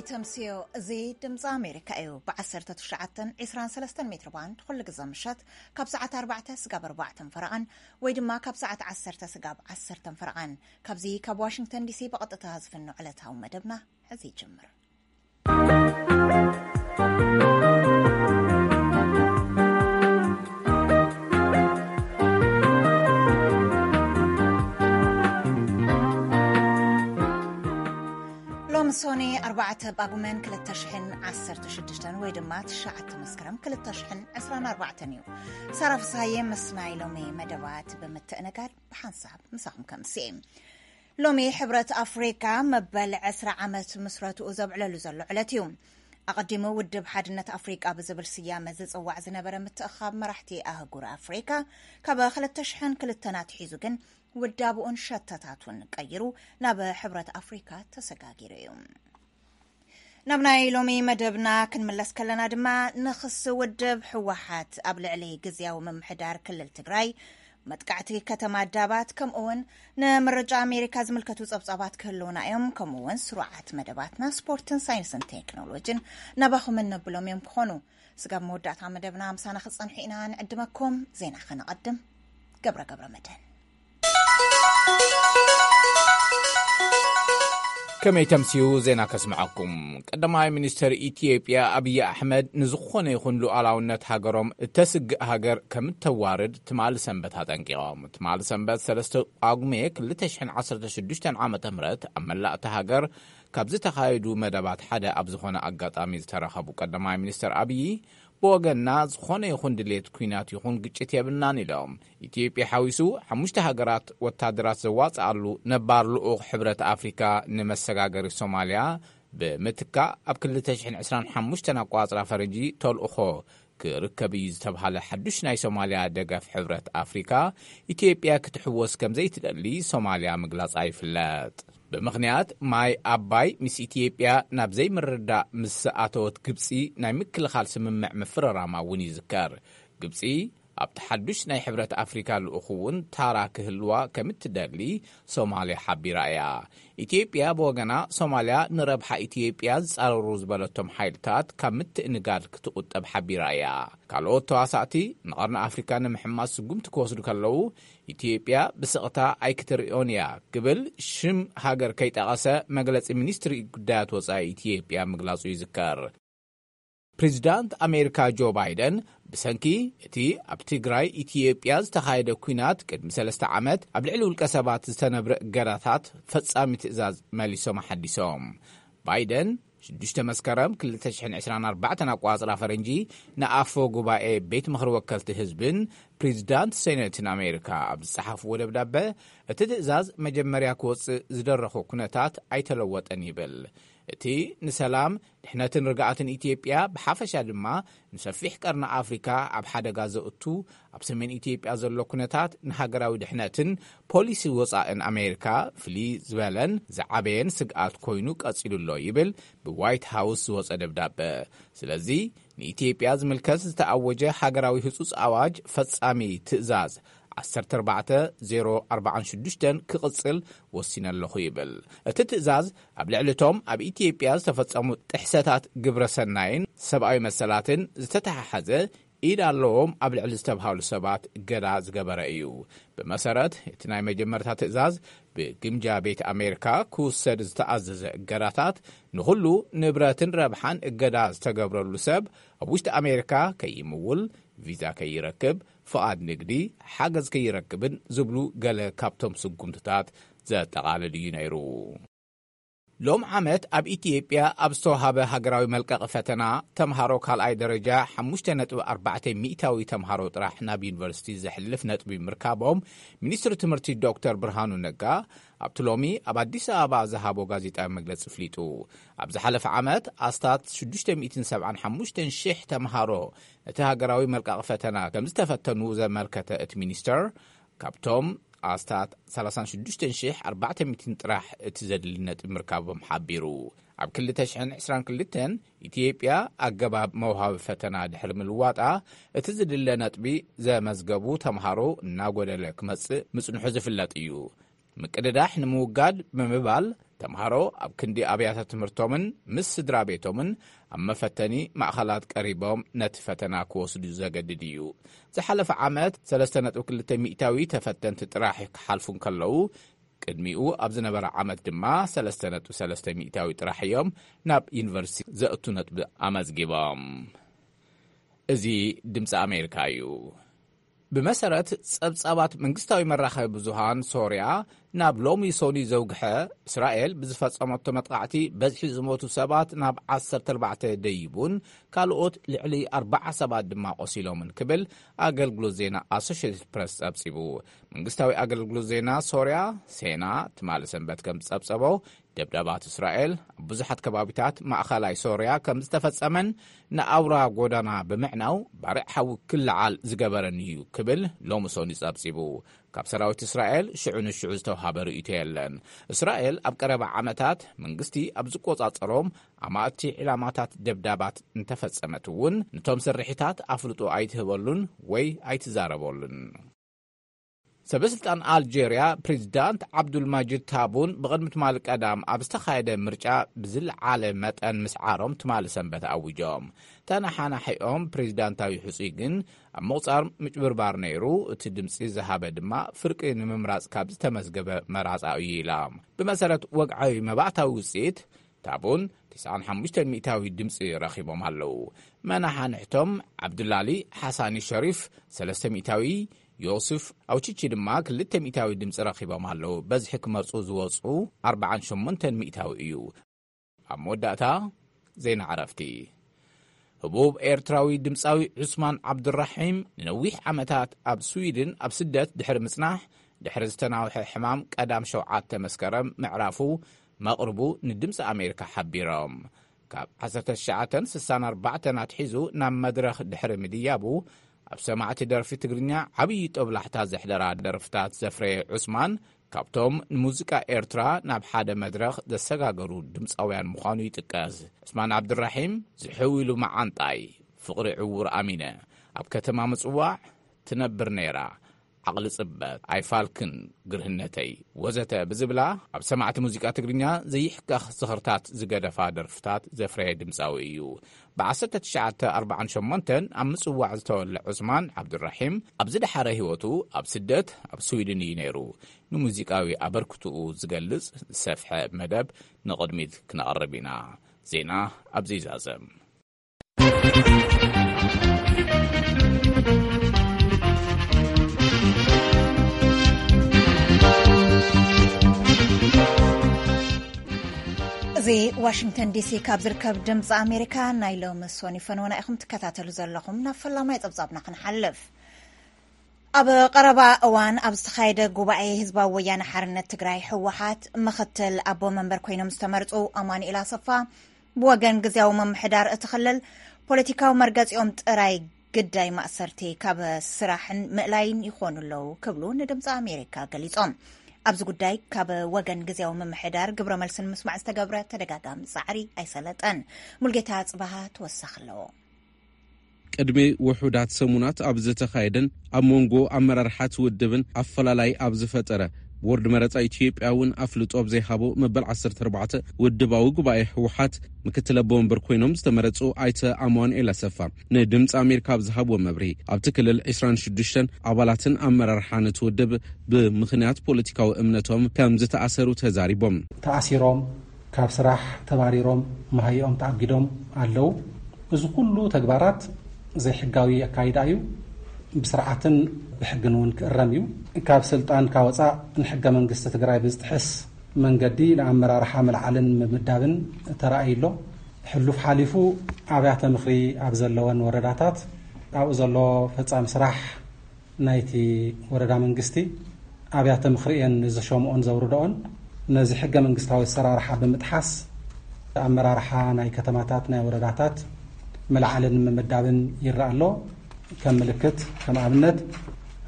ተምስዮ፣ እዚ ድምፂ ኣሜሪካ እዩ። ብ19፣ 23 ሜትር ባንድ ኩሉ ግዜ ምሸት ካብ ሰዓት ኣርባዕተ ስጋብ ኣርባዕተን ፈረቓን ወይ ድማ ካብ ሰዓት ዓሰርተ ስጋብ ዓሰርተን ፈረቓን፣ ካብዚ ካብ ዋሽንግተን ዲሲ ብቐጥታ ዝፍኖ ዕለታዊ መደብና ሕዚ ይጅምር። ሎሚ ሶኒ ኣርባዕተ ጳጉመን ክልተ ሽሕን ዓሰርተ ሽዱሽተን ወይ ድማ ትሽዓተ መስከረም ክልተ ሽሕን ዕስራን ኣርባዕተን እዩ። ሳራ ፍስሃየ ምስ ናይ ሎሚ መደባት ብምትእንጋድ ብሓንሳብ ምሳኹም ከምሲ። ሎሚ ሕብረት ኣፍሪካ መበል ዕስራ ዓመት ምስረትኡ ዘብዕለሉ ዘሎ ዕለት እዩ። ኣቐዲሙ ውድብ ሓድነት ኣፍሪቃ ብዝብል ስያመ ዝጽዋዕ ዝነበረ ምትእኻብ መራሕቲ ኣህጉር ኣፍሪካ ካብ ክልተ ሽሕን ክልተን ኣትሒዙ ግን ውዳብኡን ሸተታቱን ቀይሩ ናብ ሕብረት ኣፍሪካ ተሰጋጊሩ እዩ። ናብ ናይ ሎሚ መደብና ክንምለስ ከለና ድማ፣ ንኽሲ ውድብ ህወሓት ኣብ ልዕሊ ግዝያዊ ምምሕዳር ክልል ትግራይ፣ መጥቃዕቲ ከተማ ዳባት፣ ከምኡ እውን ንምርጫ ኣሜሪካ ዝምልከቱ ጸብጻባት ክህልውና እዮም። ከምኡ እውን ስሩዓት መደባትና ስፖርትን ሳይንስን ቴክኖሎጂን ናባኹም እነብሎም እዮም ክኾኑ። ስጋብ መወዳእታ መደብና ምሳና ክጸንሑ ኢና ንዕድመኩም። ዜና ከነቐድም። ገብረ ገብረ መድህን። ከመይ ተምስዩ ዜና ከስምዐኩም። ቀዳማይ ሚኒስትር ኢትዮጵያ ኣብይ ኣሕመድ ንዝኾነ ይኹን ሉዓላውነት ሃገሮም እተስግእ ሃገር ከም እተዋርድ ትማሊ ሰንበት ኣጠንቂቖም። ትማሊ ሰንበት ሰለስተ ጳጉሜ ክልተ ሽሕን ዓሰርተ ሽዱሽተን ዓመተ ምህረት ኣብ መላእ እታ ሃገር ካብ ዝተኻየዱ መደባት ሓደ ኣብ ዝኾነ ኣጋጣሚ ዝተረኸቡ ቀዳማይ ሚኒስትር ኣብይ፣ ብወገንና ዝኾነ ይኹን ድሌት ኲናት ይኹን ግጭት የብልናን ኢሎም። ኢትዮጵያ ሓዊሱ ሓሙሽተ ሃገራት ወታደራት ዘዋጽኣሉ ነባር ልኡኽ ሕብረት ኣፍሪካ ንመሰጋገሪ ሶማልያ ብምትካእ፣ ኣብ ክልተ ሽሕን ዕስራን ሓሙሽተን ኣቋጽራ ፈረንጂ ተልእኾ ክርከብ እዩ ዝተብሃለ ሓዱሽ ናይ ሶማልያ ደገፍ ሕብረት ኣፍሪካ፣ ኢትዮጵያ ክትሕወስ ከም ዘይትደሊ ሶማልያ ምግላጻ ይፍለጥ። ብምኽንያት ማይ ኣባይ ምስ ኢትዮጵያ ናብ ዘይምርዳእ ምስ ኣተወት ግብጺ ናይ ምክልኻል ስምምዕ ምፍርራማ እውን ይዝከር። ግብጺ ኣብቲ ሓዱሽ ናይ ሕብረት ኣፍሪካ ልኡኽ እውን ታራ ክህልዋ ከም እትደሊ ሶማልያ ሓቢራ እያ። ኢትዮጵያ ብወገና፣ ሶማልያ ንረብሓ ኢትዮጵያ ዝጻረሩ ዝበለቶም ሓይልታት ካብ ምትእንጋድ ክትቑጠብ ሓቢራ እያ። ካልኦት ተዋሳእቲ ንቐርኒ ኣፍሪካ ንምሕማስ ስጉምቲ ክወስዱ ከለዉ፣ ኢትዮጵያ ብስቕታ ኣይክትርእዮን እያ ክብል ሽም ሃገር ከይጠቐሰ መግለጺ ሚኒስትሪ ጉዳያት ወጻኢ ኢትዮጵያ ምግላጹ ይዝከር። ፕሬዚዳንት ኣሜሪካ ጆ ባይደን ብሰንኪ እቲ ኣብ ትግራይ ኢትዮጵያ ዝተኻየደ ኲናት ቅድሚ ሰለስተ ዓመት ኣብ ልዕሊ ውልቀ ሰባት ዝተነብረ እገዳታት ፈጻሚ ትእዛዝ መሊሶም ኣሓዲሶም። ባይደን ሽዱሽተ መስከረም ክልተ ሽሕን ዕስራን ኣርባዕተን ኣቋጽራ ፈረንጂ ንኣፈ ጉባኤ ቤት ምኽሪ ወከልቲ ህዝብን ፕሬዚዳንት ሴኔትን ኣሜሪካ ኣብ ዝጸሓፍዎ ደብዳበ፣ እቲ ትእዛዝ መጀመርያ ክወጽእ ዝደረኾ ኩነታት ኣይተለወጠን ይብል። እቲ ንሰላም፣ ድሕነትን ርግኣትን ኢትዮጵያ ብሓፈሻ ድማ ንሰፊሕ ቀርኒ ኣፍሪካ ኣብ ሓደጋ ዘእቱ፣ ኣብ ሰሜን ኢትዮጵያ ዘሎ ኩነታት ንሃገራዊ ድሕነትን ፖሊሲ ወጻእን ኣሜሪካ ፍልይ ዝበለን ዝዓበየን ስግኣት ኮይኑ ቀጺሉ ኣሎ ይብል ብዋይት ሃውስ ዝወጸ ደብዳበ። ስለዚ ንኢትዮጵያ ዝምልከት ዝተኣወጀ ሃገራዊ ህጹጽ ኣዋጅ ፈጻሚ ትእዛዝ ዓሰርተ ኣርባዕተ ዜሮ ኣርባዓን ሽዱሽተን ክቕጽል ወሲነ ኣለኹ ይብል። እቲ ትእዛዝ ኣብ ልዕሊ እቶም ኣብ ኢትዮጵያ ዝተፈጸሙ ጥሕሰታት ግብረ ሰናይን ሰብኣዊ መሰላትን ዝተተሓሓዘ ኢድ ኣለዎም ኣብ ልዕሊ ዝተብሃሉ ሰባት እገዳ ዝገበረ እዩ። ብመሰረት እቲ ናይ መጀመርታ ትእዛዝ፣ ብግምጃ ቤት ኣሜሪካ ክውሰድ ዝተኣዘዘ እገዳታት ንኹሉ ንብረትን ረብሓን እገዳ ዝተገብረሉ ሰብ ኣብ ውሽጢ ኣሜሪካ ከይምውል፣ ቪዛ ከይረክብ፣ ፍቓድ ንግዲ፣ ሓገዝ ከይረክብን ዝብሉ ገለ ካብቶም ስጉምትታት ዘጠቓልል እዩ ነይሩ። ሎም ዓመት ኣብ ኢትዮጵያ ኣብ ዝተዋሃበ ሃገራዊ መልቀቒ ፈተና፣ ተምሃሮ ካልኣይ ደረጃ ሓሙሽተ ነጥቢ ኣርባዕተ ሚእታዊ ተምሃሮ ጥራሕ ናብ ዩኒቨርሲቲ ዘሕልፍ ነጥቢ ምርካቦም፣ ሚኒስትሪ ትምህርቲ ዶክተር ብርሃኑ ነጋ ኣብቲ ሎሚ ኣብ ኣዲስ ኣበባ ዝሃቦ ጋዜጣዊ መግለጺ ኣፍሊጡ። ኣብ ዝሓለፈ ዓመት ኣስታት ሽዱሽተ ሚእትን ሰብዓን ሓሙሽተን ሽሕ ተምሃሮ ነቲ ሃገራዊ መልቀቒ ፈተና ከም ዝተፈተኑ ዘመልከተ እቲ ሚኒስተር፣ ካብቶም ኣስታት ሰላሳን ሽዱሽተን ሽሕ ኣርባዕተ ሚእትን ጥራሕ እቲ ዘድሊ ነጥቢ ምርካቦም ሓቢሩ። ኣብ ክልተ ሽሕን ዕስራን ክልተን ኢትዮጵያ ኣገባብ መውሃቢ ፈተና ድሕሪ ምልዋጣ፣ እቲ ዝድለ ነጥቢ ዘመዝገቡ ተምሃሮ እናጎደለ ክመጽእ ምጽንሑ ዝፍለጥ እዩ። ምቅድዳሕ ንምውጋድ ብምባል፣ ተምሃሮ ኣብ ክንዲ ኣብያተ ትምህርቶምን ምስ ስድራ ቤቶምን ኣብ መፈተኒ ማእኸላት ቀሪቦም ነቲ ፈተና ክወስዱ ዘገድድ እዩ። ዝሓለፈ ዓመት ሰለስተ ነጥቢ ክልተ ሚእታዊ ተፈተንቲ ጥራሕ ክሓልፉ እንከለዉ፣ ቅድሚኡ ኣብ ዝነበረ ዓመት ድማ ሰለስተ ነጥቢ ሰለስተ ሚእታዊ ጥራሕ እዮም ናብ ዩኒቨርሲቲ ዘእቱ ነጥቢ ኣመዝጊቦም። እዚ ድምፂ ኣሜሪካ እዩ። ብመሰረት ጸብጻባት መንግስታዊ መራኸቢ ብዙሃን ሶርያ፣ ናብ ሎሚ ሶኒ ዘውግሐ፣ እስራኤል ብዝፈጸመቶ መጥቃዕቲ በዝሒ ዝሞቱ ሰባት ናብ ዓሰርተ ኣርባዕተ ደይቡን ካልኦት ልዕሊ ኣርባዓ ሰባት ድማ ቆሲሎምን ክብል ኣገልግሎት ዜና ኣሶሽየትድ ፕረስ ጸብጺቡ። መንግስታዊ ኣገልግሎት ዜና ሶርያ ሴና ትማሊ ሰንበት ከም ዝጸብጸቦ፣ ደብዳባት እስራኤል ኣብ ብዙሓት ከባቢታት ማእኸላይ ሶርያ ከም ዝተፈጸመን ንኣውራ ጎዳና ብምዕናው ባርዕ ሓዊ ክለዓል ዝገበረን እዩ ክብል ሎሚ ሶኒ ጸብጺቡ። ካብ ሰራዊት እስራኤል ሽዑ ንሽዑ ዝተውሃበ ርእይቶ የለን። እስራኤል ኣብ ቀረባ ዓመታት መንግስቲ ኣብ ዝቆጻጸሮም ኣማእቲ ዕላማታት ደብዳባት እንተፈጸመት እውን፣ ነቶም ስርሒታት ኣፍልጦ ኣይትህበሉን ወይ ኣይትዛረበሉን። ሰበስልጣን ኣልጀርያ ፕሬዚዳንት ዓብዱልማጅድ ታቡን ብቕድሚ ትማሊ ቀዳም ኣብ ዝተኻየደ ምርጫ ብዝለዓለ መጠን ምስዓሮም ትማሊ ሰንበት ኣዊጆም። ተነሓናሒኦም ፕሬዚዳንታዊ ሕጹይ ግን ኣብ ምቑጻር ምጭብርባር ነይሩ፣ እቲ ድምጺ ዝሃበ ድማ ፍርቂ ንምምራጽ ካብ ዝተመዝገበ መራጻ እዩ ኢላ። ብመሰረት ወግዓዊ መባእታዊ ውጽኢት፣ ታቡን ትስዓን ሓሙሽተን ሚእታዊ ድምፂ ረኺቦም ኣለዉ። መናሓንሕቶም ዓብዱላሊ ሓሳኒ ሸሪፍ ሰለስተ ሚእታዊ፣ ዮስፍ ኣውችቺ ድማ ክልተ ሚእታዊ ድምፂ ረኺቦም ኣለዉ። በዝሒ ክመርፁ ዝወፁ ኣርባዓን ሸሞንተን ሚእታዊ እዩ። ኣብ መወዳእታ ዜና ዕረፍቲ። ህቡብ ኤርትራዊ ድምፃዊ ዑስማን ዓብዱራሒም ንነዊሕ ዓመታት ኣብ ስዊድን ኣብ ስደት ድሕሪ ምጽናሕ፣ ድሕሪ ዝተናውሐ ሕማም ቀዳም ሸውዓተ መስከረም ምዕራፉ መቕርቡ ንድምፂ ኣሜሪካ ሓቢሮም። ካብ ዓሰርተ ትሽዓተ ስሳን ኣርባዕተን ኣትሒዙ ናብ መድረኽ ድሕሪ ምድያቡ፣ ኣብ ሰማዕቲ ደርፊ ትግርኛ ዓብዪ ጦብላሕታ ዘሕደራ ደርፍታት ዘፍረየ ዑስማን፣ ካብቶም ንሙዚቃ ኤርትራ ናብ ሓደ መድረኽ ዘሰጋገሩ ድምፃውያን ምዃኑ ይጥቀስ። ዑስማን ዓብዱራሒም ዝሕው ኢሉ መዓንጣይ፣ ፍቕሪ ዕዉር ኣሚነ፣ ኣብ ከተማ ምጽዋዕ ትነብር ነይራ፣ ዓቕሊ ጽበት፣ ኣይፋልክን ግርህነተይ፣ ወዘተ ብዝብላ ኣብ ሰማዕቲ ሙዚቃ ትግርኛ ዘይሕከኽ ዝኽርታት ዝገደፋ ደርፍታት ዘፍረየ ድምፃዊ እዩ። ብ ዓሰርተ ትሽዓተ ኣርባዓን ሸሞንተን ኣብ ምጽዋዕ ዝተወልዐ ዑስማን ዓብዱራሒም፣ ኣብ ዝደሓረ ህይወቱ ኣብ ስደት ኣብ ስዊድን እዩ ነይሩ። ንሙዚቃዊ ኣበርክትኡ ዝገልጽ ዝሰፍሐ መደብ ንቕድሚት ክነቕርብ ኢና። ዜና ኣብዚ ይዛዘም። እዚ ዋሽንግተን ዲሲ ካብ ዝርከብ ድምፂ ኣሜሪካ ናይ ሎሚ ሶኒ ፈነወና ኢኹም ትከታተሉ ዘለኹም። ናብ ፈላማይ ጸብጻብና ክንሓልፍ። ኣብ ቀረባ እዋን ኣብ ዝተኻየደ ጉባኤ ህዝባዊ ወያነ ሓርነት ትግራይ፣ ህወሓት፣ ምኽትል ኣቦ መንበር ኮይኖም ዝተመርጹ ኣማኑኤል ኣሰፋ፣ ብወገን ግዝያዊ ምምሕዳር እቲ ክልል ፖለቲካዊ መርገጺኦም ጥራይ ግዳይ ማእሰርቲ ካብ ስራሕን ምእላይን ይኾኑ ኣለዉ ክብሉ ንድምፂ ኣሜሪካ ገሊጾም። ኣብዚ ጉዳይ ካብ ወገን ግዝያዊ ምምሕዳር ግብረ መልሲ ንምስማዕ ዝተገብረ ተደጋጋሚ ጻዕሪ ኣይሰለጠን። ሙልጌታ ጽባሃ ተወሳኺ ኣለዎ። ቅድሚ ውሑዳት ሰሙናት ኣብ ዝተኻየደን ኣብ መንጎ ኣመራርሓት ውድብን ኣፈላላይ ኣብ ዝፈጠረ፣ ቦርድ መረፃ ኢትዮጵያ እውን ኣፍልጦ ኣብ ዘይሃቦ መበል ዓሰርተ ኣርባዕተ ውድባዊ ጉባኤ ህወሓት፣ ምክትል ኣቦ ወንበር ኮይኖም ዝተመረፁ ኣይተ ኣማኑኤል ኣሰፋ ንድምፂ ኣሜሪካ ኣብ ዝሃብዎ መብርሂ፣ ኣብቲ ክልል ዕስራን ሽዱሽተን ኣባላትን ኣመራርሓን እቲ ውድብ ብምኽንያት ፖለቲካዊ እምነቶም ከም ዝተኣሰሩ ተዛሪቦም። ተኣሲሮም፣ ካብ ስራሕ ተባሪሮም፣ መሃይኦም ተኣጊዶም ኣለዉ። እዚ ኩሉ ተግባራት ዘይሕጋዊ ኣካይዳ እዩ። ብስርዓትን ብሕግን እውን ክእረም እዩ። ካብ ስልጣን ካብ ወፃእ ንሕገ መንግስቲ ትግራይ ብዝጥሕስ መንገዲ ንኣመራርሓ ምልዓልን ምምዳብን ተራእዩ ኣሎ። ሕሉፍ ሓሊፉ ኣብያተ ምኽሪ ኣብ ዘለወን ወረዳታት ኣብኡ ዘሎ ፈጻሚ ስራሕ ናይቲ ወረዳ መንግስቲ ኣብያተ ምኽሪ እየን ዝሸምኦን ዘውርደኦን። ነዚ ሕገ መንግስታዊ ኣሰራርሓ ብምጥሓስ ኣመራርሓ ናይ ከተማታት፣ ናይ ወረዳታት ምልዓልን ምምዳብን ይረኣ ኣሎ። ከም ምልክት፣ ከም ኣብነት፣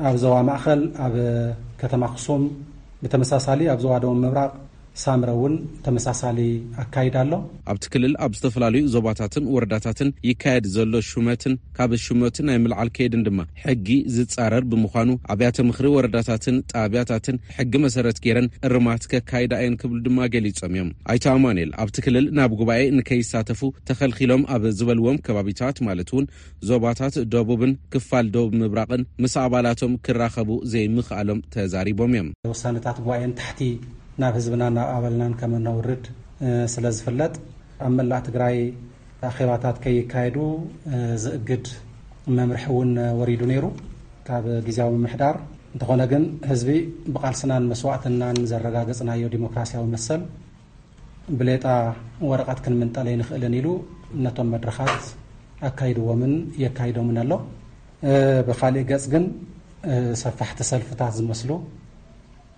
ኣብ ዞባ ማእኸል፣ ኣብ ከተማ ኣኽሱም፣ ብተመሳሳሊ ኣብ ዞባ ደቡብ ምብራቕ፣ ሳምረ እውን ተመሳሳሊ ኣካይዳ ኣሎ። ኣብቲ ክልል ኣብ ዝተፈላለዩ ዞባታትን ወረዳታትን ይካየድ ዘሎ ሹመትን ካብ ሹመት ናይ ምልዓል ከይድን ድማ ሕጊ ዝጻረር ብምዃኑ ኣብያተ ምኽሪ ወረዳታትን ጣብያታትን ሕጊ መሰረት ገይረን እርማት ከካይዳ እየን ክብሉ ድማ ገሊጾም እዮም። ኣይተ ኣማኑኤል ኣብቲ ክልል ናብ ጉባኤ ንከይሳተፉ ተኸልኪሎም ኣብ ዝበልዎም ከባቢታት ማለት እውን ዞባታት ደቡብን ክፋል ደቡብ ምብራቕን ምስ ኣባላቶም ክራኸቡ ዘይምኽኣሎም ተዛሪቦም እዮም። ውሳነታት ጉባኤን ታሕቲ ናብ ህዝብና ናብ ኣባልናን ከም እነውርድ ስለ ዝፍለጥ ኣብ መላእ ትግራይ ኣኼባታት ከይካየዱ ዝእግድ መምርሒ እውን ወሪዱ ነይሩ ካብ ግዜያዊ ምምሕዳር። እንተኾነ ግን ህዝቢ ብቓልስናን መስዋእትናን ዘረጋገጽናዮ ዲሞክራሲያዊ መሰል ብሌጣ ወረቐት ክንምንጠል ኣይንኽእልን ኢሉ ነቶም መድረኻት ኣካይድዎምን የካይዶምን ኣሎ። ብኻሊእ ገጽ ግን ሰፋሕቲ ሰልፍታት ዝመስሉ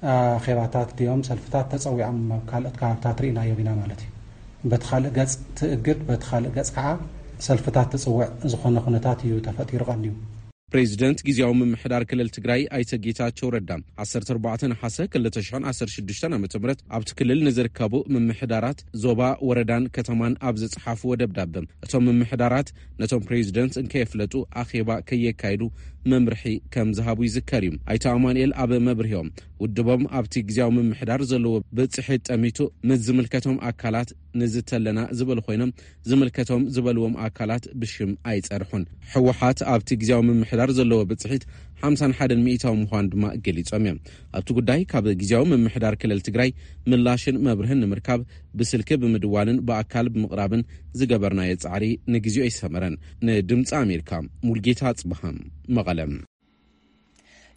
ኣኼባታት ድዮም ሰልፍታት ተጸዊዖም ኣብ ካልኦት ከባብታት ርኢናዮም ኢና ማለት እዩ። በቲ ካልእ ገጽ ትእግድ፣ በቲ ካልእ ገጽ ከዓ ሰልፍታት ትጽውዕ ዝኾነ ኩነታት እዩ ተፈጢሩ ቀንዩ። ፕሬዚደንት ግዜያዊ ምምሕዳር ክልል ትግራይ ኣይተ ጌታቸው ረዳ ዓሰርተ ኣርባዕተ ነሓሰ ክልተ ሽሕን ዓሰርተ ሽዱሽተን ዓመተ ምህረት ኣብቲ ክልል ንዝርከቡ ምምሕዳራት ዞባ፣ ወረዳን ከተማን ኣብ ዝጸሓፍዎ ደብዳበ እቶም ምምሕዳራት ነቶም ፕሬዚደንት እንከየፍለጡ ኣኼባ ከየካይዱ መምርሒ ከም ዝሃቡ ይዝከር እዩ። ኣይተ ኣማኑኤል ኣብ መብርሂኦም ውድቦም ኣብቲ ግዜያዊ ምምሕዳር ዘለዎ ብጽሒት ጠሚቱ ምስ ዝምልከቶም ኣካላት ንዝተለና ዝበሉ ኮይኖም ዝምልከቶም ዝበልዎም ኣካላት ብሽም ኣይጸርሑን። ህወሓት ኣብቲ ግዜያዊ ምምሕዳር ዘለዎ ብጽሒት ሓምሳን ሓደን ሚእታዊ ምዃኑ ድማ ገሊጾም እዮም። ኣብቲ ጉዳይ ካብ ግዜያዊ ምምሕዳር ክልል ትግራይ ምላሽን መብርህን ንምርካብ ብስልኪ ብምድዋልን ብኣካል ብምቕራብን ዝገበርናዮ ጻዕሪ ንግዜኡ ኣይሰመረን። ንድምፂ ኣሜሪካ ሙልጌታ ኣጽብሃ መቐለ።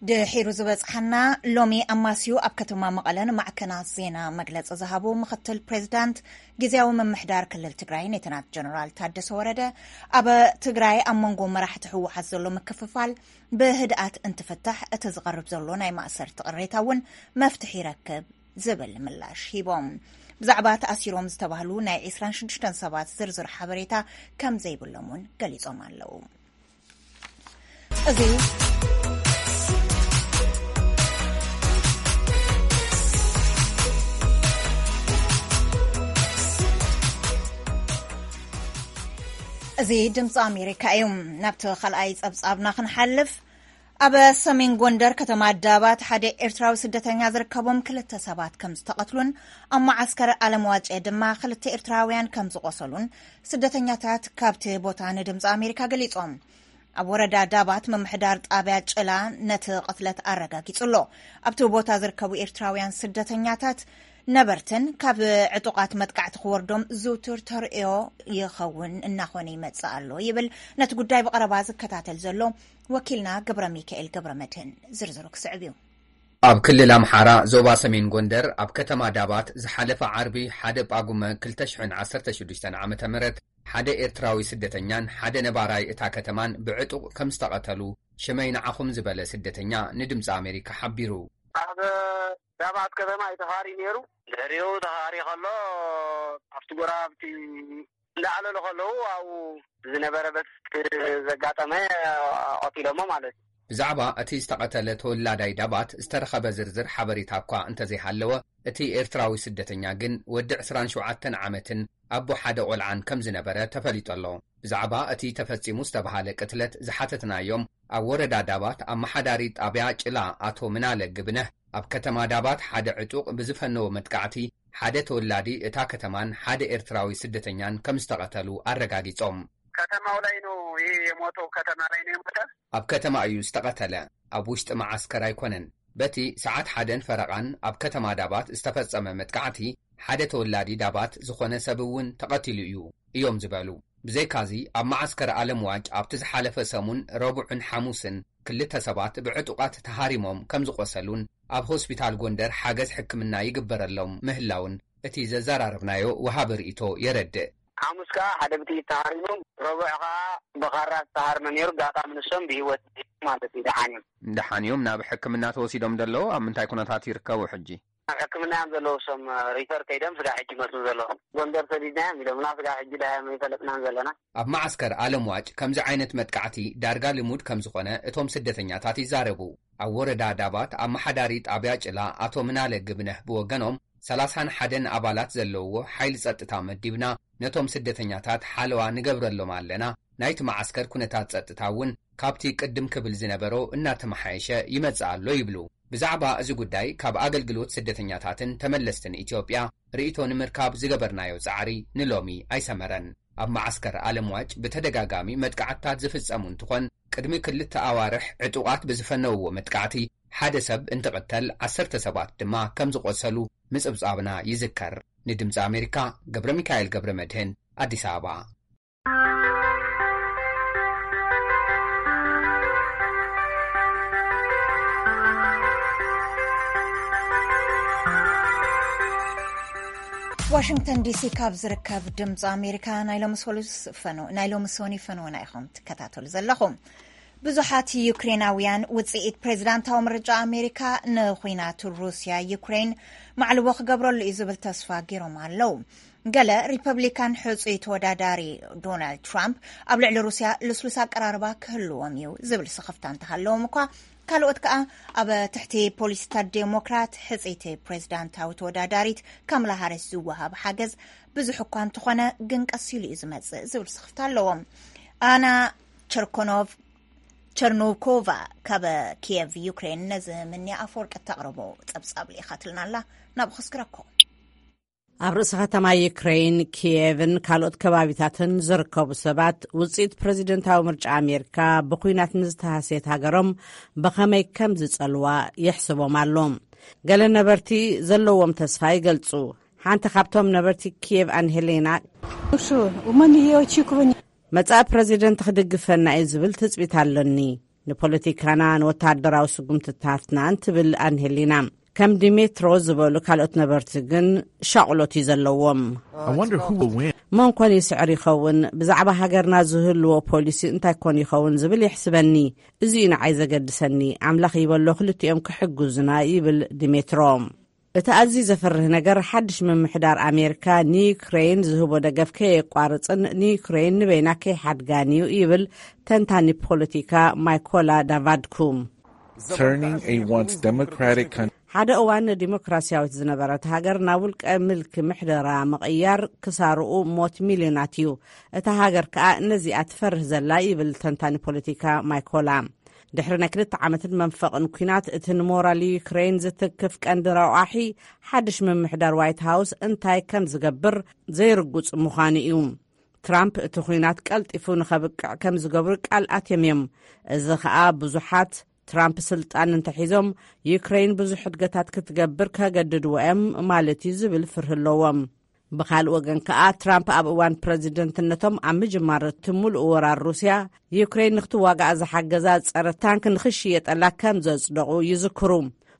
ድሒሩ ዝበጽሓና ሎሚ ኣማስዩ ኣብ ከተማ መቐለ ንማዕከናት ዜና መግለጺ ዝሃቡ ምኽትል ፕሬዚዳንት ግዜያዊ ምምሕዳር ክልል ትግራይ ሌተናት ጀነራል ታደሰ ወረደ፣ ኣብ ትግራይ ኣብ መንጎ መራሕቲ ህወሓት ዘሎ ምክፍፋል ብህድኣት እንትፍታሕ እቲ ዝቐርብ ዘሎ ናይ ማእሰርቲ ቅሬታ እውን መፍትሒ ይረክብ ዝብል ምላሽ ሂቦም። ብዛዕባ ተኣሲሮም ዝተባህሉ ናይ ዕስራን ሽዱሽተን ሰባት ዝርዝር ሓበሬታ ከም ዘይብሎም እውን ገሊጾም ኣለዉ። እዚ እዚ ድምፂ ኣሜሪካ እዩ። ናብቲ ካልኣይ ጸብጻብና ክንሓልፍ፣ ኣብ ሰሜን ጎንደር ከተማ ዳባት ሓደ ኤርትራዊ ስደተኛ ዝርከቦም ክልተ ሰባት ከም ዝተቐትሉን ኣብ መዓስከር ኣለምዋጨ ድማ ክልተ ኤርትራውያን ከም ዝቖሰሉን ስደተኛታት ካብቲ ቦታ ንድምፂ ኣሜሪካ ገሊጾም። ኣብ ወረዳ ዳባት ምምሕዳር ጣብያ ጭላ ነቲ ቅትለት ኣረጋጊጹ ኣሎ። ኣብቲ ቦታ ዝርከቡ ኤርትራውያን ስደተኛታት ነበርትን ካብ ዕጡቓት መጥቃዕቲ ክወርዶም ዝውቱር ተርእዮ ይኸውን እናኾነ ይመጽእ ኣሎ ይብል ነቲ ጉዳይ ብቐረባ ዝከታተል ዘሎ ወኪልና ገብረ ሚካኤል ገብረ መድህን። ዝርዝሩ ክስዕብ እዩ። ኣብ ክልል ኣምሓራ ዞባ ሰሜን ጎንደር ኣብ ከተማ ዳባት ዝሓለፈ ዓርቢ ሓደ ጳጉመ ክልተ ሽሕን ዓሰርተ ሽዱሽተን ዓመተ ምህረት ሓደ ኤርትራዊ ስደተኛን ሓደ ነባራይ እታ ከተማን ብዕጡቕ ከም ዝተቐተሉ ሽመይ ንዓኹም ዝበለ ስደተኛ ንድምፂ ኣሜሪካ ሓቢሩ። ኣብ ዳባት ከተማ እዩ ተኻሪ ነይሩ። ድሕሪኡ ተኻሪ ከሎ ኣብቲ ጎራብቲ እንዳዕለሉ ከለዉ ኣብኡ ዝነበረ በቲ ዘጋጠመ ቀቲሎሞ ማለት እዩ። ብዛዕባ እቲ ዝተቐተለ ተወላዳይ ዳባት ዝተረኸበ ዝርዝር ሓበሬታ እኳ እንተዘይሃለወ፣ እቲ ኤርትራዊ ስደተኛ ግን ወዲ ዕስራን ሸውዓተን ዓመትን ኣቦ ሓደ ቆልዓን ከም ዝነበረ ተፈሊጡ ኣሎ። ብዛዕባ እቲ ተፈጺሙ ዝተባሃለ ቅትለት ዝሓተትናዮም ኣብ ወረዳ ዳባት ኣመሓዳሪ ጣብያ ጭላ ኣቶ ምናለ ግብነህ፣ ኣብ ከተማ ዳባት ሓደ ዕጡቕ ብዝፈነዎ መጥቃዕቲ ሓደ ተወላዲ እታ ከተማን ሓደ ኤርትራዊ ስደተኛን ከም ዝተቐተሉ ኣረጋጊጾም። ከተማው ላይ ነው ይሄ የሞተው፣ ከተማ ላይ ነው የሞተ። ኣብ ከተማ እዩ ዝተቐተለ። ኣብ ውሽጢ መዓስከር ኣይኮነን። በቲ ሰዓት ሓደን ፈረቓን ኣብ ከተማ ዳባት ዝተፈጸመ መጥቃዕቲ ሓደ ተወላዲ ዳባት ዝኾነ ሰብ እውን ተቐቲሉ እዩ እዮም ዝበሉ። ብዘይካዚ ኣብ መዓስከር ኣለምዋጭ ኣብቲ ዝሓለፈ ሰሙን ረቡዕን ሓሙስን ክልተ ሰባት ብዕጡቓት ተሃሪሞም ከም ዝቖሰሉን ኣብ ሆስፒታል ጎንደር ሓገዝ ሕክምና ይግበረሎም ምህላውን እቲ ዘዘራረብናዮ ወሃቢ ርእይቶ የረድእ። ሓሙስ ከኣ ሓደ ብጥይት ተሃሪሞም፣ ረቡዕ ከኣ ብኻራ ዝተሃርመ ነይሩ። ኣጋጣሚ ንሶም ብህይወት ማለት እዩ፣ ደሓን እዮም። ደሓን እዮም። ናብ ሕክምና ተወሲዶም ዘለዉ ኣብ ምንታይ ኩነታት ይርከቡ ሕጂ? ኣብ ሕክምና እዮም ዘለዉ። እሶም ሪፈር ከይዶም ስጋ ሕጂ መስሉ ዘለዉ። ጎንደር ሰዲድናዮም ኢሎምና፣ ስጋ ሕጂ ዳዮም ኣይፈለጥናን ዘለና። ኣብ መዓስከር ኣለምዋጭ ከምዚ ዓይነት መጥቃዕቲ ዳርጋ ልሙድ ከም ዝኾነ እቶም ስደተኛታት ይዛረቡ። ኣብ ወረዳ ዳባት ኣመሓዳሪ ጣብያ ጭላ ኣቶ ምናለ ግብነህ ብወገኖም፣ ሰላሳን ሓደን ኣባላት ዘለውዎ ሓይሊ ጸጥታ መዲብና፣ ነቶም ስደተኛታት ሓለዋ ንገብረሎም ኣለና፣ ናይቲ መዓስከር ኩነታት ጸጥታ እውን ካብቲ ቅድም ክብል ዝነበሮ እናተመሓየሸ ይመጽእ ኣሎ ይብሉ። ብዛዕባ እዚ ጉዳይ ካብ ኣገልግሎት ስደተኛታትን ተመለስትን ኢትዮጵያ ርእይቶ ንምርካብ ዝገበርናዮ ጻዕሪ ንሎሚ ኣይሰመረን። ኣብ መዓስከር ኣለምዋጭ ብተደጋጋሚ መጥቃዕትታት ዝፍጸሙ እንትኾን፣ ቅድሚ ክልተ ኣዋርሕ ዕጡቓት ብዝፈነውዎ መጥቃዕቲ ሓደ ሰብ እንትቕተል፣ ዓሰርተ ሰባት ድማ ከም ዝቖሰሉ ምጽብጻብና ይዝከር። ንድምጺ ኣሜሪካ፣ ገብረ ሚካኤል ገብረ መድህን፣ ኣዲስ ኣበባ። ዋሽንግተን ዲሲ ካብ ዝርከብ ድምፂ ኣሜሪካ ናይ ሎሚ ሰሉስ ፈኑ-፣ ናይ ሎሚ ሶኒ ፈንውና ኢኹም ትከታተሉ ዘለኹም። ብዙሓት ዩክሬናውያን ውፅኢት ፕሬዚዳንታዊ ምርጫ ኣሜሪካ ንኹናት ሩስያ ዩክሬን ማዕልቦ ክገብረሉ እዩ ዝብል ተስፋ ገይሮም ኣለዉ። ገለ ሪፐብሊካን ሕፁይ ተወዳዳሪ ዶናልድ ትራምፕ ኣብ ልዕሊ ሩስያ ልስሉስ ኣቀራርባ ክህልዎም እዩ ዝብል ስኽፍታ እንተሃለዎም እኳ፣ ካልኦት ከኣ ኣብ ትሕቲ ፖሊሲታት ዴሞክራት ሕፅይቲ ፕሬዚዳንታዊ ተወዳዳሪት ካምላ ሃሪስ ዝወሃብ ሓገዝ ብዙሕ እኳ እንተኾነ፣ ግን ቀስ ኢሉ እዩ ዝመጽእ ዝብል ስኽፍታ ኣለዎም። ኣና ቸርኮኖቭ ቸርኖኮቫ ካብ ኪየቭ ዩክሬን ነዚ ምንያ ኣፈወርቂ እተቕርቦ ጸብጻብ ልኢኻትልና ኣላ። ናብኡ ክስግረኩም። ኣብ ርእሲ ከተማ ዩክሬን ኪየቭን ካልኦት ከባቢታትን ዝርከቡ ሰባት፣ ውጽኢት ፕረዚደንታዊ ምርጫ ኣሜሪካ ብኲናት ንዝተሃስየት ሃገሮም ብኸመይ ከም ዝጸልዋ የሕስቦም ኣሎ። ገለ ነበርቲ ዘለዎም ተስፋ ይገልጹ። ሓንቲ ካብቶም ነበርቲ ኪየቭ ኣንሄሌና፣ መጻኢ ፕረዚደንት ክድግፈና እዩ ዝብል ትጽቢት ኣሎኒ፣ ንፖለቲካና፣ ንወተሃደራዊ ስጉምትታትናን ትብል ኣንሄሊና። ከም ዲሜትሮ ዝበሉ ካልኦት ነበርቲ ግን ሻቕሎት እዩ ዘለዎም። I wonder who will win. መን ኮን ይስዕር ይኸውን? ብዛዕባ ሃገርና ዝህልዎ ፖሊሲ እንታይ ኮን ይኸውን ዝብል የሕስበኒ። እዚ እዩ ንዓይ ዘገድሰኒ። ኣምላኽ ይበሎ ክልቲኦም ክሕግዙና ይብል ዲሜትሮ። እቲ ኣዝዩ ዘፍርህ ነገር፣ ሓድሽ ምምሕዳር ኣሜሪካ ንዩክሬን ዝህቦ ደገፍ ከየቋርጽን ንዩክሬን ንበይና ከይሓድጋን እዩ ይብል ተንታኒ ፖለቲካ ማይኮላ ዳቫድኩ። Turning a once democratic country ሓደ እዋን ዲሞክራሲያዊት ዝነበረት ሃገር ናብ ውልቀ ምልኪ ምሕደራ ምቕያር ክሳርኡ ሞት ሚልዮናት እዩ። እታ ሃገር ከኣ ነዚኣ ትፈርህ ዘላ ይብል ተንታኒ ፖለቲካ ማይኮላ። ድሕሪ ናይ ክልተ ዓመትን መንፈቕን ኲናት፣ እቲ ንሞራል ዩክሬን ዝትክፍ ቀንዲ ረቋሒ ሓድሽ ምምሕዳር ዋይት ሃውስ እንታይ ከም ዝገብር ዘይርጉጽ ምዃኑ እዩ። ትራምፕ እቲ ኲናት ቀልጢፉ ንኸብቅዕ ከም ዝገብሩ ቃል ኣትዮም እዮም። እዚ ኸኣ ብዙሓት ትራምፕ ስልጣን እንተሒዞም ዩክሬን ብዙሕ ሕድገታት ክትገብር ከገድድዎ እዮም ማለት እዩ ዝብል ፍርሂ ኣለዎም። ብኻልእ ወገን ከኣ ትራምፕ ኣብ እዋን ፕረዚደንትነቶም ኣብ ምጅማር እቲ ሙሉእ ወራር ሩስያ ዩክሬን ንክትዋጋኣ ዝሓገዛ ጸረ ታንክ ንክሽየጠላ ከም ዘጽደቑ ይዝክሩ።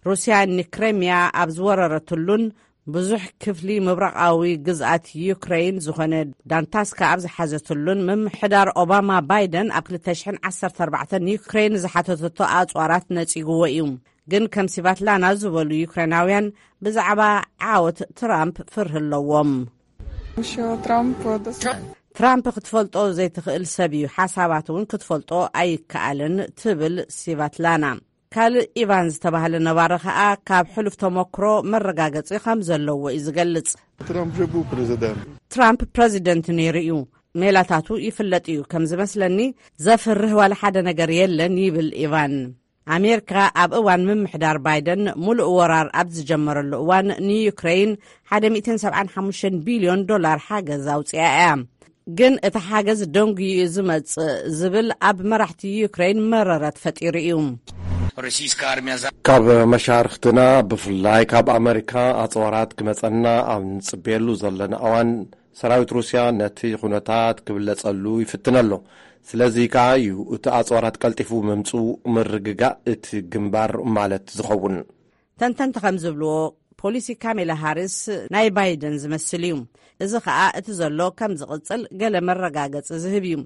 ሩስያ ንክሬምያ ኣብ ዝወረረትሉን ብዙሕ ክፍሊ ምብራቓዊ ግዝኣት ዩክሬን ዝኾነ ዳንታስካ ኣብ ዝሓዘትሉን፣ ምምሕዳር ኦባማ ባይደን ኣብ ክልተ ሽሕን ዓሰርተ ኣርባዕተን ዩክሬን ዝሓተተቶ ኣጽዋራት ነጺግዎ እዩ። ግን ከም ሲቫትላና ዝበሉ ዩክሬናውያን ብዛዕባ ዓወት ትራምፕ ፍርሂ ኣለዎም። Що Трамп достатньо. ትራምፕ ክትፈልጦ ዘይትኽእል ሰብ እዩ፣ ሓሳባት እውን ክትፈልጦ ኣይከኣልን ትብል ሲቫትላና። ካልእ ኢቫን ዝተባህለ ነባሪ ኸኣ ካብ ሕሉፍ ተመክሮ መረጋገጺ ከም ዘለዎ እዩ ዝገልጽ። Трамፕ вже був президентом. ትራምፕ ፕረዚደንት ነይሩ እዩ። ሜላታቱ ይፍለጥ እዩ። ከም ዝመስለኒ ዘፍርህ ዋላ ሓደ ነገር የለን ይብል ኢቫን። ኣሜሪካ ኣብ እዋን ምምሕዳር ባይደን ሙሉእ ወራር ኣብ ዝጀመረሉ እዋን ንዩክሬን ሓደ ሚእትን ሰብዓን ሓሙሽተን ቢልዮን ዶላር ሓገዝ ኣውጺኣ እያ። ግን እቲ ሓገዝ ደንጉዩ እዩ ዝመጽእ ዝብል ኣብ መራሕቲ ዩክሬን መረረት ፈጢሩ እዩ። Російська армія за ካብ መሻርኽትና ብፍላይ ካብ ኣመሪካ ኣጽዋራት ክመጸና ኣብ ንጽበየሉ ዘለና እዋን ሰራዊት ሩስያ ነቲ ኩነታት ክብለጸሉ ይፍትን ኣሎ። ስለዚ ከኣ እዩ እቲ ኣጽዋራት ቀልጢፉ ምምጽኡ ምርግጋእ እቲ ግንባር ማለት ዝኸውን። ተንተንቲ ከም ዝብልዎ፣ ፖሊሲ ካሜላ ሃሪስ ናይ ባይደን ዝመስል እዩ። እዚ ኸኣ እቲ ዘሎ ከም ዝቕጽል ገለ መረጋገጺ ዝህብ እዩ።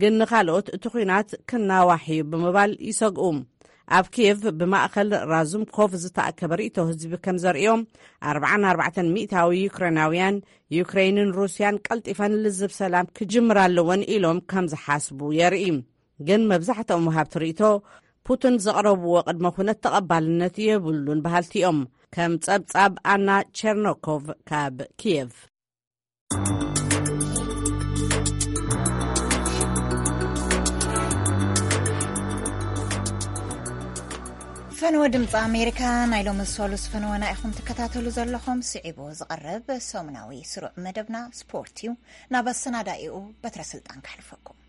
ግን ንኻልኦት እቲ ኲናት ክናዋሕ እዩ ብምባል ይሰግኡ። ኣብ ኪየቭ ብማእከል ራዙምኮቭ ዝተኣከበ ርእይቶ ህዝቢ ከም ዘርእዮ፣ ኣርብዓን ኣርባዕተን ሚእታዊ ዩክሬናውያን ዩክሬንን ሩስያን ቀልጢፈን ልዝብ ሰላም ክጅምራ ኣለወን ኢሎም ከም ዝሓስቡ የርኢ። ግን መብዛሕትኦም ወሃብቲ ርእይቶ ፑቲን ዘቕረብዎ ቅድመ ኩነት ተቐባልነት የብሉን በሃልቲ እዮም። ከም ጸብጻብ ኣና ቸርኖኮቭ ካብ ኪየቭ። ፈነወ ድምፂ ኣሜሪካ ናይ ሎሚ ሰሉስ ፈነወና ኢኹም ትከታተሉ ዘለኹም። ስዒቡ ዝቐርብ ሰሙናዊ ስሩዕ መደብና ስፖርት እዩ። ናብ ኣሰናዳኢኡ በትረ ስልጣን ከሕልፈኩም።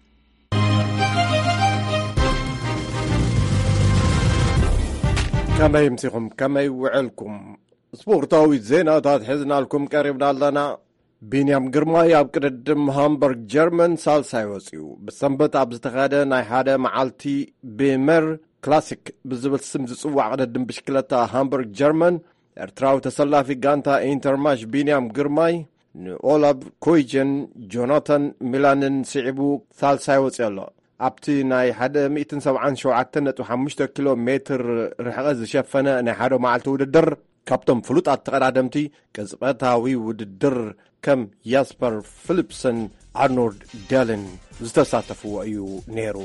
ከመይ ምሲኹም? ከመይ ውዕልኩም? ስፖርታዊ ዜናታት ሒዝናልኩም ቀሪብና ኣለና። ቢንያም ግርማይ ኣብ ቅድድም ሃምበርግ ጀርመን ሳልሳይ ወፂኡ። ብሰንበት ኣብ ዝተኻደ ናይ ሓደ መዓልቲ ቤመር ክላሲክ ብዝብል ስም ዝፅዋዕ ቅድድም ብሽክለታ ሃምበርግ ጀርመን፣ ኤርትራዊ ተሰላፊ ጋንታ ኢንተርማሽ ቢንያም ግርማይ ንኦላብ ኮይጀን ጆናታን ሚላንን ስዒቡ ሳልሳይ ወፂኡ ኣሎ። ኣብቲ ናይ ሓደ ሚእትን ሰብዓን ሸውዓተን ነጥቢ ሓሙሽተ ኪሎ ሜትር ርሕቐት ዝሸፈነ ናይ ሓደ መዓልቲ ውድድር፣ ካብቶም ፍሉጣት ተቐዳደምቲ ቅጽበታዊ ውድድር ከም ያስፐር ፊሊፕሰን፣ ኣርኖልድ ደልን ዝተሳተፍዎ እዩ ነይሩ።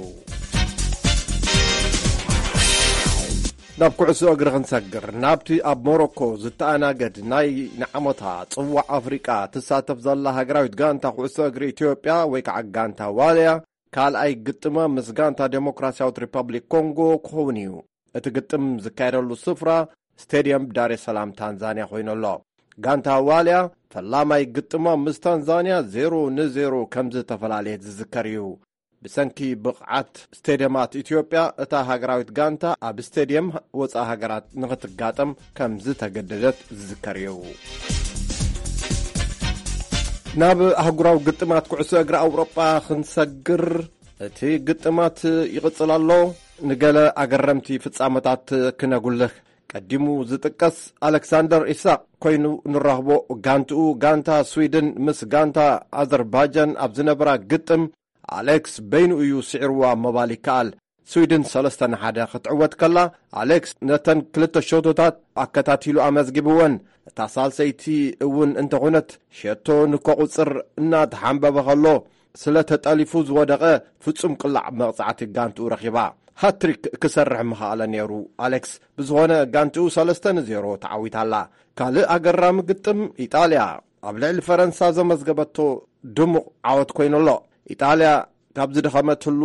ናብ ኩዕሶ እግሪ ክንሰግር፣ ናብቲ ኣብ ሞሮኮ ዝተኣናገድ ናይ ንዓመታ ጽዋዕ ኣፍሪቃ ትሳተፍ ዘላ ሃገራዊት ጋንታ ኩዕሶ እግሪ ኢትዮጵያ ወይ ከዓ ጋንታ ዋልያ ካልኣይ ግጥማ ምስ ጋንታ ዴሞክራሲያዊት ሪፐብሊክ ኮንጎ ክኸውን እዩ። እቲ ግጥም ዝካየደሉ ስፍራ ስቴድየም ዳሬ ሰላም ታንዛንያ ኮይኑ ኣሎ። ጋንታ ዋልያ ፈላማይ ግጥማ ምስ ታንዛንያ ዜሮ ንዜሮ ከም ዝተፈላለየት ዝዝከር እዩ። ብሰንኪ ብቕዓት ስቴድየማት ኢትዮጵያ፣ እታ ሃገራዊት ጋንታ ኣብ ስቴድየም ወፃኢ ሃገራት ንኽትጋጠም ከም ዝተገደደት ዝዝከር እዩ። ናብ ኣህጉራዊ ግጥማት ኩዕሶ እግሪ ኣውሮጳ ክንሰግር፣ እቲ ግጥማት ይቕጽል ኣሎ። ንገለ ኣገረምቲ ፍጻመታት ክነጉልህ፣ ቀዲሙ ዝጥቀስ ኣሌክሳንደር ኢሳቕ ኮይኑ ንራኽቦ። ጋንትኡ ጋንታ ስዊድን ምስ ጋንታ ኣዘርባይጃን ኣብ ዝነበራ ግጥም፣ ኣሌክስ በይኑ እዩ ስዒርዋ ምባል ይከኣል። ስዊድን ሰለስተ ንሓደ ክትዕወት ከላ፣ ኣሌክስ ነተን ክልተ ሸቶታት ኣከታቲሉ ኣመዝጊብወን። እታ ሳልሰይቲ እውን እንተኾነት፣ ሸቶ ንከቑጽር እናተሓንበበ ከሎ፣ ስለ ተጠሊፉ ዝወደቐ ፍጹም ቅላዕ መቕጻዕቲ ጋንትኡ ረኺባ። ሃትሪክ ክሰርሕ ምኸኣለ ነይሩ ኣሌክስ። ብዝኾነ፣ ጋንትኡ ሰለስተ ንዜሮ ተዓዊታ ኣላ። ካልእ ኣገራሚ ግጥም፣ ኢጣልያ ኣብ ልዕሊ ፈረንሳ ዘመዝገበቶ ድሙቕ ዓወት ኮይኑ ኣሎ። ኢጣልያ ካብ ዝደኸመትሉ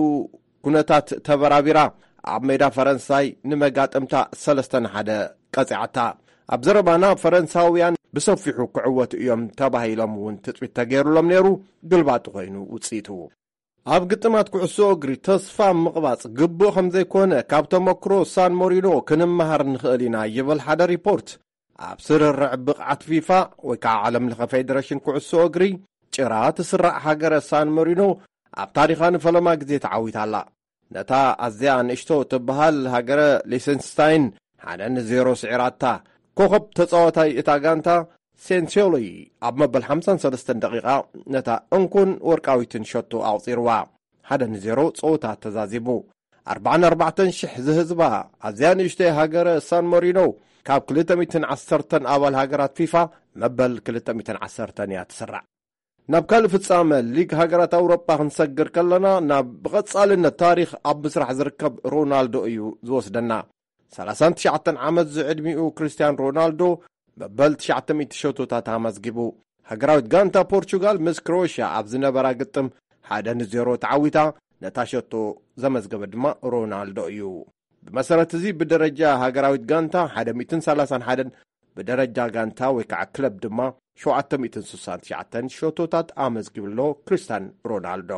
ኩነታት ተበራቢራ፣ ኣብ ሜዳ ፈረንሳይ ንመጋጥምታ ሰለስተ ንሓደ ቀጺዓታ። ኣብ ዘረባና፣ ፈረንሳውያን ብሰፊሑ ክዕወቱ እዮም ተባሂሎም እውን ትጽቢት ተገይሩሎም ነይሩ። ግልባጡ ኮይኑ ውጽኢቱ። ኣብ ግጥማት ኩዕሶ እግሪ ተስፋ ምቕባጽ ግቡእ ከም ዘይኮነ ካብ ተመክሮ ሳን ሞሪኖ ክንመሃር ንኽእል ኢና ይብል ሓደ ሪፖርት። ኣብ ስርርዕ ብቕዓት ፊፋ ወይ ከዓ ዓለም ለኸ ፌደሬሽን ኩዕሶ እግሪ ጭራ ትስራዕ ሃገረ ሳን ሞሪኖ ኣብ ታሪኻ ንፈለማ ግዜ ተዓዊታ ኣላ። ነታ ኣዝያ ንእሽቶ ትበሃል ሃገረ ሊሰንስታይን ሓደ ንዜሮ ስዒራታ። ኮኸብ ተጻዋታይ እታ ጋንታ ሴንሲዮሎይ ኣብ መበል ሓምሳን ሰለስተን ደቂቓ ነታ እንኮን ወርቃዊትን ሸቶ ኣቑጺርዋ። ሓደ ንዜሮ ጸወታ ተዛዚሙ። ኣርባዓን ኣርባዕተን ሽሕ ዝህዝባ ኣዝያ ንእሽተይ ሃገረ ሳን ሞሪኖ ካብ ክልተ ሚእትን ዓሰርተን ኣባል ሃገራት ፊፋ መበል ክልተ ሚእትን ዓሰርተን እያ ትስራዕ። ናብ ካልእ ፍጻመ ሊግ ሃገራት ኣውሮጳ ክንሰግር ከለና፣ ናብ ብቐጻልነት ታሪኽ ኣብ ምስራሕ ዝርከብ ሮናልዶ እዩ ዝወስደና። ሰላሳን ትሽዓተን ዓመት ዝዕድሚኡ ክርስቲያን ሮናልዶ መበል ትሽዓተ ሚእቲ ሸቶታት ኣመዝጊቡ። ሃገራዊት ጋንታ ፖርቹጋል ምስ ክሮኤሽያ ኣብ ዝነበራ ግጥም ሓደ ንዜሮ ተዓዊታ። ነታ ሸቶ ዘመዝገበ ድማ ሮናልዶ እዩ። ብመሰረት እዚ፣ ብደረጃ ሃገራዊት ጋንታ ሓደ ሚእትን ሰላሳን ሓደን፣ ብደረጃ ጋንታ ወይ ከዓ ክለብ ድማ ሸውዓተ ሚእትን ስሳን ትሽዓተን ሸቶታት ኣመዝጊቡ ኣሎ ክርስቲያን ሮናልዶ።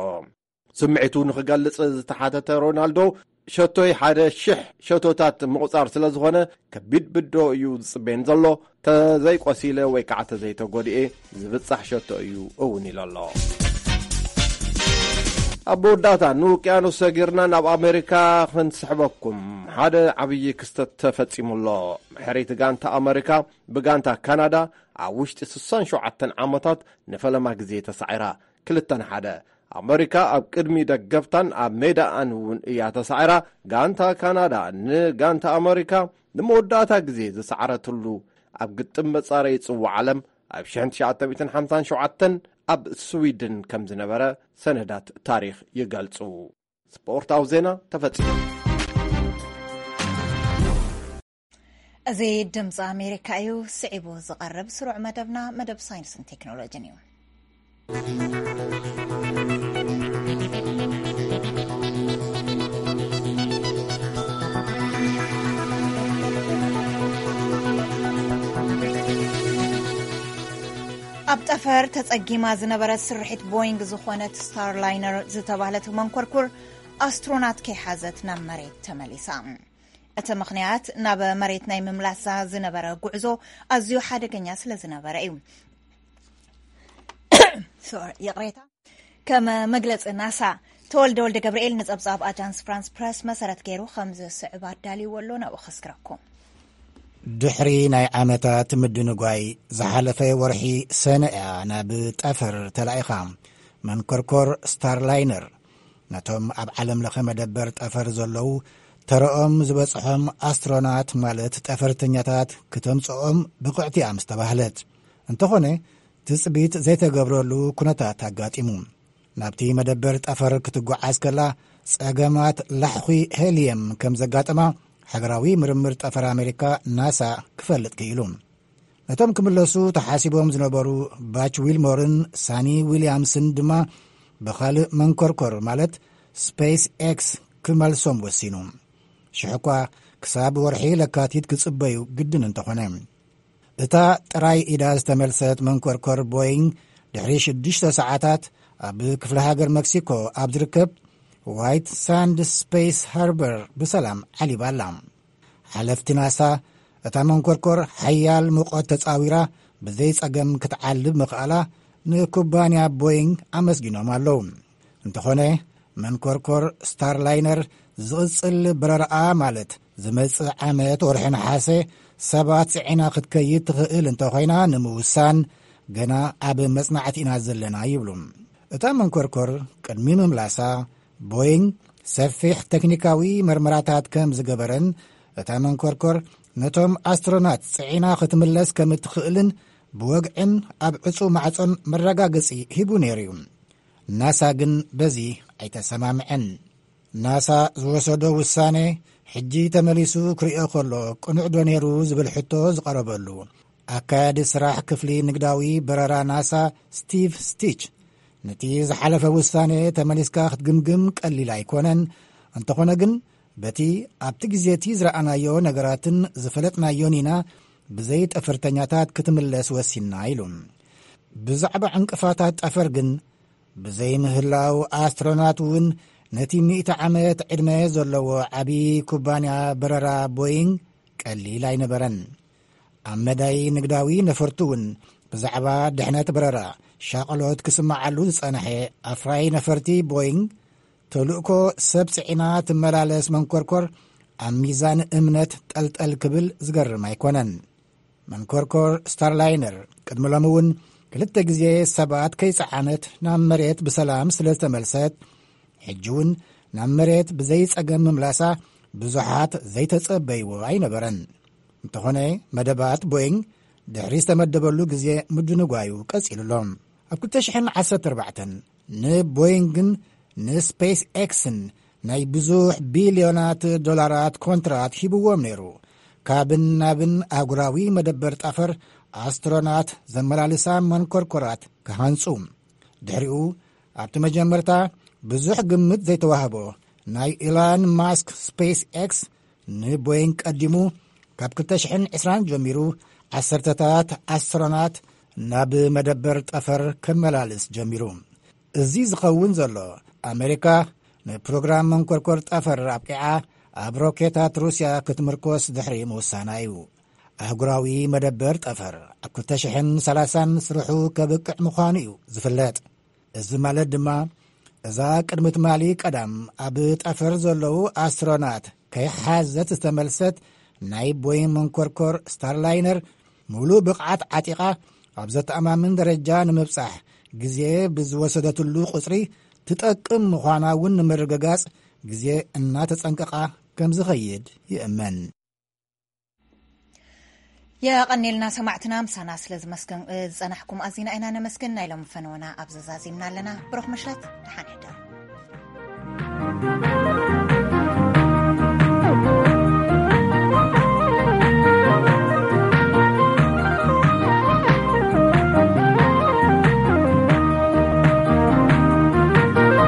ስምዒቱ ንኽገልጽ ዝተሓተተ ሮናልዶ፣ ሸቶይ ሓደ ሽሕ ሸቶታት ምቑጻር ስለ ዝኾነ፣ ከቢድ ብድሆ እዩ ዝጽበየን ዘሎ። ተዘይቆሲለ ወይ ከዓ ተዘይተጎድኤ ዝብጻሕ ሸቶ እዩ እውን ኢሉ ኣሎ። ኣብ መወዳእታ ንውቅያኖስ ሰጊርና ናብ ኣሜሪካ ክንስሕበኩም። ሓደ ዓብዪ ክስተት ተፈጺሙ ኣሎ። ሕርይቲ ጋንታ ኣሜሪካ ብጋንታ ካናዳ ኣብ ውሽጢ ስሳን ሸውዓተን ዓመታት ንፈለማ ግዜ ተሳዒራ። ክልተ ንሓደ። ኣመሪካ ኣብ ቅድሚ ደገፍታን ኣብ ሜዳኣን እውን እያ ተሳዒራ። ጋንታ ካናዳ ንጋንታ ኣመሪካ ንመወዳእታ ግዜ ዝሰዓረትሉ ኣብ ግጥም መጻረዪ ጽዋዕ ዓለም ኣብ ሽሕን ትሽዓተ ሚእትን ሓምሳን ሸውዓተን ኣብ ስዊድን ከም ዝነበረ ሰነዳት ታሪኽ ይገልጹ። ስፖርታዊ ዜና ተፈጺሙ። እዚ ድምፂ ኣሜሪካ እዩ። ስዒቡ ዝቐርብ ስሩዕ መደብና መደብ ሳይንስን ቴክኖሎጂን እዩ። ኣብ ጠፈር ተጸጊማ ዝነበረት ስርሒት ቦይንግ ዝኾነት ስታርላይነር ዝተባህለት መንኮርኩር ኣስትሮናት ከይሓዘት ናብ መሬት ተመሊሳ። እቲ ምኽንያት ናብ መሬት ናይ ምምላሳ ዝነበረ ጉዕዞ ኣዝዩ ሓደገኛ ስለ ዝነበረ እዩ። ሶሪ፣ ይቕሬታ። ከም መግለጺ ናሳ፣ ተወልደ ወልደ ገብርኤል ንጸብጻብ ኣጃንስ ፍራንስ ፕረስ መሰረት ገይሩ ከም ዝስዕብ ኣዳልይዎ ኣሎ፣ ናብኡ ከስግረኩም። ድሕሪ ናይ ዓመታት ምድንጓይ፣ ዝሓለፈ ወርሒ ሰነ እያ ናብ ጠፈር ተላኢኻ። መንኮርኮር ስታርላይነር ነቶም ኣብ ዓለም ለኸ መደበር ጠፈር ዘለዉ ተረኦም ዝበጽሖም ኣስትሮናት፣ ማለት ጠፈርተኛታት፣ ክተምጽኦም ብቕዕቲ እያ ምስ ተባህለት። እንተኾነ፣ ትጽቢት ዘይተገብረሉ ኩነታት ኣጋጢሙ። ናብቲ መደበር ጠፈር ክትጓዓዝ ከላ፣ ጸገማት ላሕኺ ሄልየም ከም ዘጋጠማ ሃገራዊ ምርምር ጠፈር ኣሜሪካ፣ ናሳ፣ ክፈልጥ ክኢሉ። ነቶም ክምለሱ ተሓሲቦም ዝነበሩ ባች ዊልሞርን ሳኒ ዊልያምስን ድማ ብኻልእ መንኮርኮር፣ ማለት ስፔስ ኤክስ፣ ክመልሶም ወሲኑ። ሽሕ እኳ ክሳብ ወርሒ ለካቲት ክጽበዩ ግድን እንተኾነ። እታ ጥራይ ኢዳ ዝተመልሰት መንኮርኮር ቦይንግ፣ ድሕሪ ሽዱሽተ ሰዓታት ኣብ ክፍለ ሃገር መክሲኮ ኣብ ዝርከብ ዋይት ሳንድ ስፔስ ሃርበር ብሰላም ዓሊባ ኣላ። ሓለፍቲ ናሳ፣ እታ መንኮርኮር ሓያል ሙቐት ተጻዊራ ብዘይ ጸገም ክትዓልብ ምኽኣላ ንኩባንያ ቦይንግ ኣመስጊኖም ኣለዉ። እንተኾነ፣ መንኮርኮር ስታርላይነር ዝቕጽል በረራኣ፣ ማለት ዝመጽእ ዓመት ወርሒ ነሓሰ ሰባት ጽዒና ክትከይድ ትኽእል እንተኾይና ንምውሳን ገና ኣብ መጽናዕቲ ኢና ዘለና ይብሉ። እታ መንኮርኮር ቅድሚ ምምላሳ፣ ቦይንግ ሰፊሕ ቴክኒካዊ መርመራታት ከም ዝገበረን፣ እታ መንኮርኮር ነቶም ኣስትሮናት ጽዒና ክትምለስ ከም እትኽእልን ብወግዕን ኣብ ዕጹው ማዕጾን መረጋገጺ ሂቡ ነይሩ እዩ። ናሳ ግን በዚ ኣይተሰማምዐን። ናሳ ዝወሰዶ ውሳኔ፣ ሕጂ ተመሊሱ ክርእዮ ከሎ ቅኑዕ ዶ ነይሩ ዝብል ሕቶ ዝቐረበሉ፣ ኣካያዲ ስራሕ ክፍሊ ንግዳዊ በረራ ናሳ፣ ስቲቭ ስቲች፣ ነቲ ዝሓለፈ ውሳኔ ተመሊስካ ክትግምግም ቀሊል ኣይኮነን። እንተኾነ ግን፣ በቲ ኣብቲ ግዜ እቲ ዝረኣናዮ ነገራትን ዝፈለጥናዮን ኢና ብዘይ ጠፈርተኛታት ክትምለስ ወሲንና፣ ኢሉ። ብዛዕባ ዕንቅፋታት ጠፈር ግን ብዘይ ምህላው፣ ኣስትሮናት እውን ነቲ ሚእቲ ዓመት ዕድመ ዘለዎ ዓቢ ኩባንያ በረራ ቦይንግ ቀሊል ኣይነበረን። ኣብ መዳይ ንግዳዊ ነፈርቲ እውን ብዛዕባ ድሕነት በረራ ሻቕሎት ክስምዓሉ ዝጸንሐ ኣፍራይ ነፈርቲ ቦይንግ፣ ተልእኮ ሰብ ጽዒና ትመላለስ መንኮርኮር ኣብ ሚዛን እምነት ጠልጠል ክብል ዝገርም ኣይኮነን። መንኮርኮር ስታርላይነር ቅድሚ ሎሚ እውን ክልተ ግዜ ሰባት ከይጸዓነት ናብ መሬት ብሰላም ስለ ዝተመልሰት፣ ሕጂ እውን ናብ መሬት ብዘይ ጸገም ምምላሳ ብዙሓት ዘይተጸበይዎ ኣይነበረን። እንተኾነ፣ መደባት ቦይንግ ድሕሪ ዝተመደበሉ ግዜ ምድንጓዩ ቀጺሉ ኣሎ። ኣብ ክልተ ሽሕን ዓሰርተ ኣርባዕተን ንቦይንግን ንስፔስ ኤክስን ናይ ብዙሕ ቢልዮናት ዶላራት ኮንትራት ሂብዎም ነይሩ፣ ካብን ናብን ኣህጉራዊ መደበር ጠፈር ኣስትሮናት ዘመላልሳ መንኮርኮራት ክሃንጹ። ድሕሪኡ፣ ኣብቲ መጀመርታ ብዙሕ ግምት ዘይተዋህቦ ናይ ኢላን ማስክ ስፔስ ኤክስ፣ ንቦይንግ ቀዲሙ፣ ካብ ክልተ ሽሕን ዕስራን ጀሚሩ ዓሰርተታት ኣስትሮናት ናብ መደበር ጠፈር ከመላልስ ጀሚሩ። እዚ ዝኸውን ዘሎ፣ ኣሜሪካ ንፕሮግራም መንኮርኮር ጠፈር ኣብቂዓ፣ ኣብ ሮኬታት ሩስያ ክትምርኮስ ድሕሪ ምውሳና እዩ። ኣህጉራዊ መደበር ጠፈር ኣብ ክልተ ሽሕን ሰላሳን ስርሑ ከብቅዕ ምዃኑ እዩ ዝፍለጥ። እዚ ማለት ድማ፣ እዛ ቅድሚ ትማሊ ቀዳም ኣብ ጠፈር ዘለዉ ኣስትሮናት ከይሓዘት ዝተመልሰት ናይ ቦይንግ መንኮርኮር ስታርላይነር፣ ሙሉእ ብቕዓት ዓጢቓ ኣብ ዘተኣማምን ደረጃ ንምብጻሕ ግዜ ብዝወሰደትሉ ቁጽሪ ትጠቅም ምዃና እውን ንምርግጋጽ ግዜ እናተጸንቀቓ ከም ዝኸይድ ይእመን። የቐኔልና ሰማዕትና፣ ምሳና ስለ ዝመስገን-፣ ዝጸናሕኩም ኣዚና ኢና ነመስግን። ናይ ሎሚ ፈነወና ኣብ ዘዛዚምና ኣለና። ብሩኽ ምሽት፣ ደሓን ሕደሩ።